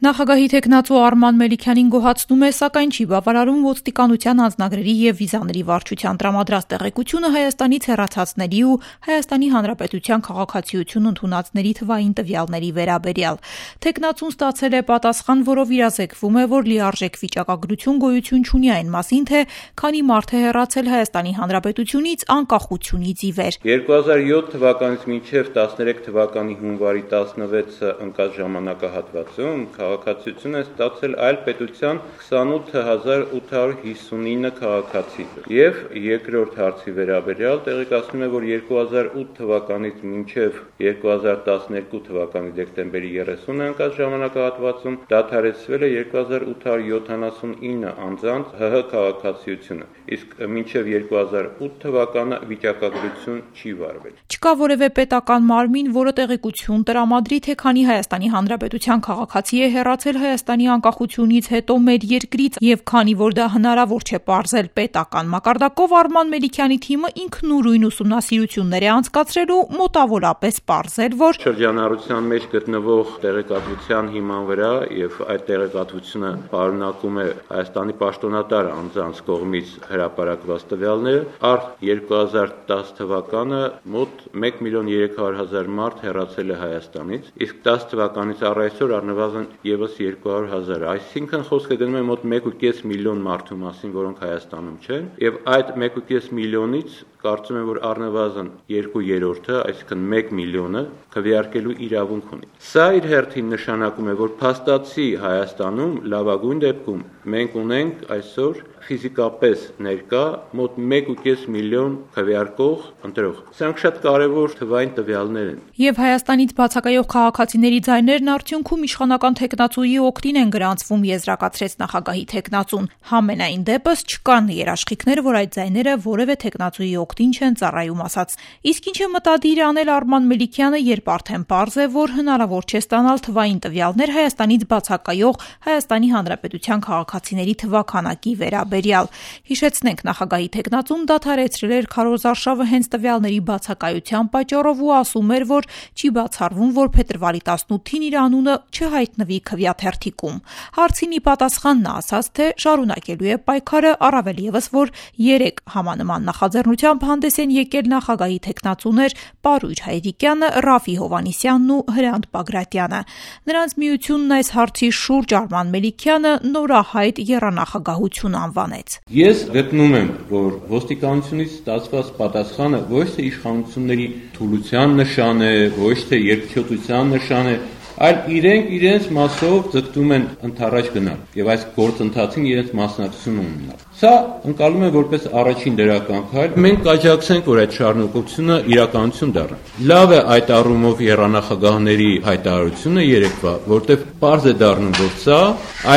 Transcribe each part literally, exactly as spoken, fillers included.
Նախագահի թեկնածու Արման Մելիքյանին գոհացնում է, սակայն չի բավարարում ոստիկանության անձնագրերի և վիզաների վարչության տրամադրած տեղեկությունը Հայաստանից հեռացածների ու Հայաստանի Հանրապետության քաղաքացիություն ընդունածների թվային տվյալների վերաբերյալ։ Թեկնածուն ստացել է պատասխան, որով իրազեկվում է, որ լիարժեք վիճակագրություն գոյություն չունի այն մասին, թե քանի մարդ է հեռացել Հայաստանի Հանրապետությունից անկախությունից ի վեր։ երկու հազար յոթ թվականից մինչև տասներեք թվականի հունվարի տասնվեցը ընկած ժամանակահատվածում քաղաքացիություն է ստացել այլ պետության քսանութ հազար ութ հարյուր հիսունինը քաղաքացի։ Եվ երկրորդ հարցի վերաբերյալ տեղեկացնում է, որ երկու հազար ութ թվականից մինչև երկու հազար տասներկու թվականի դեկտեմբերի երեսունը ընկած ժամանակահատվածում դադարեցվել է երկու հազար ութ հարյուր յոթանասունինը անձանց ՀՀ քաղաքացիությունը, իսկ մինչև երկու հազար ութ թվականը վիճակագրություն չի վարվել։ Չկա որևէ պետական մարմին, որը տեղեկություն տրամադրի, թե քանի Հայաստանի Հանրապետության քաղաքացի է հեռացել Հայաստանի անկախությունից հետո մեր երկրից, եւ քանի որ դա հնարավոր չէ պարզել պետական մակարդակով, Արման Մելիքյանի թիմը ինքնուրույն ուսումնասիրություններ է անցկացրել ու մոտավորապես պարզել, որ շրջանառության մեջ գտնվող տեղեկատվության հիման վրա եւ այդ տեղեկատվությունը պարունակում է Հայաստանի պաշտոնատար անձանց կողմից հրապարակված տվյալները, առ երկու հազար տասը թվականը մոտ մեկ միլիոն երեք հարյուր հազար մարդ հեռացել է Հայաստանից, իսկ տասը թվականից առ այսօր առնվազն եւս երկու հարյուր հազար, այսինքն խոսքը գնում է մոտ մեկ ու կես միլիոն մարդու մասին, որոնք Հայաստանում չեն, եւ այդ մեկ ու կես միլիոնից կարծում եմ, որ առնվազն երկու երրորդը, այսինքն մեկ միլիոնը քվեարկելու իրավունք ունի։ Սա իր հերթին նշանակում է, որ փաստացի Հայաստանում լավագույն դեպքում մենք ունենք այսօր ֆիզիկապես ներկա մոտ մեկ ու կես միլիոն քվեարկող ընտրող։ Սրանք շատ կարևոր թվային տվյալներ են։ Եվ Հայաստանից բացակայող քաղաքացիների ձայներն արդյունքում իշխանական թեկնածուի օգտին են գրանցվում, եզրակացրեց նախագահի թեկնածուն։ Համենայն դեպս չկան երաշխիքներ, որ այդ ձայները որևէ թեկնածուի օգտին չեն ծառայում, ասաց։ Իսկ ինչ է մտադիր անել Արման Մելիքյանը, երբ արդեն պարզ է, որ հնարավոր չէ ստանալ թվային տվյալներ Հայաստանից բացակայող Հայաստանի Հանրապետության քաղաքացիների թվաքանակի վերաբերյալ։ Հիշեցնենք, նախագահի թեկնածուն դադարեցրել էր քարոզարշավը հենց տվյալների բացակայության պատճառով ու ասում էր, որ չի բացառվում, որ փետրվարի տասնութին իր անունը չհայտնվի քվեաթերթիկում։ Հարցին ի պատասխան նա ասաց, թե շարունակելու է պայքարը, առավել ևս, որ երեք համանման նախաձեռնությամբ հանդես են եկել նախագահի թեկնածուներ Պարույր Հայրիկյանը, Ռաֆի Հովհաննիսյանն ու Հրանտ Բագրատյանը։ Նրանց միությունն այս հարցի շուրջ Արման Մելիքյանը նորահայտ եռանախագահություն անվանեց։ Ես գտնում եմ, որ ոստիկանությունից ստացված պատասխանը ոչ թե իշխանությունների թուլության նշան է, ոչ թե երկչոտության նշան է, այլ իրենք իրենց մասով ձգտում են ընդառաջ գնալ եւ այս գործընթացին իրենց մասնակցություն ունենալ։ Սա ընկալում է որպես առաջին դրական քայլ։ Մենք կաջակցենք, որ այդ շարունակությունը իրականություն դառնա։ Լավ է այդ առումով եռանախագահների հայտարարությունը երեկվա, որտեղ պարզ է դառնում, որ սա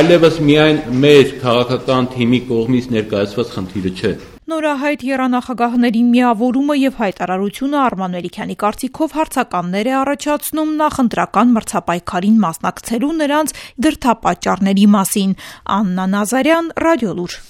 այլևս միայն մեր քաղաքական թիմի կողմից ներկայացված խնդիրը չէ։ Նորահայտ եռանախագահների միավորումը եւ հայտարարությունը Արման Մելիքյանի կարծիքով հարցականներ է առաջացնում նախընտրական մրցապայքարին մասնակցելու նրանց դրդապատճառների մասին։ Աննա Նազարյան, Ռադիոլուր։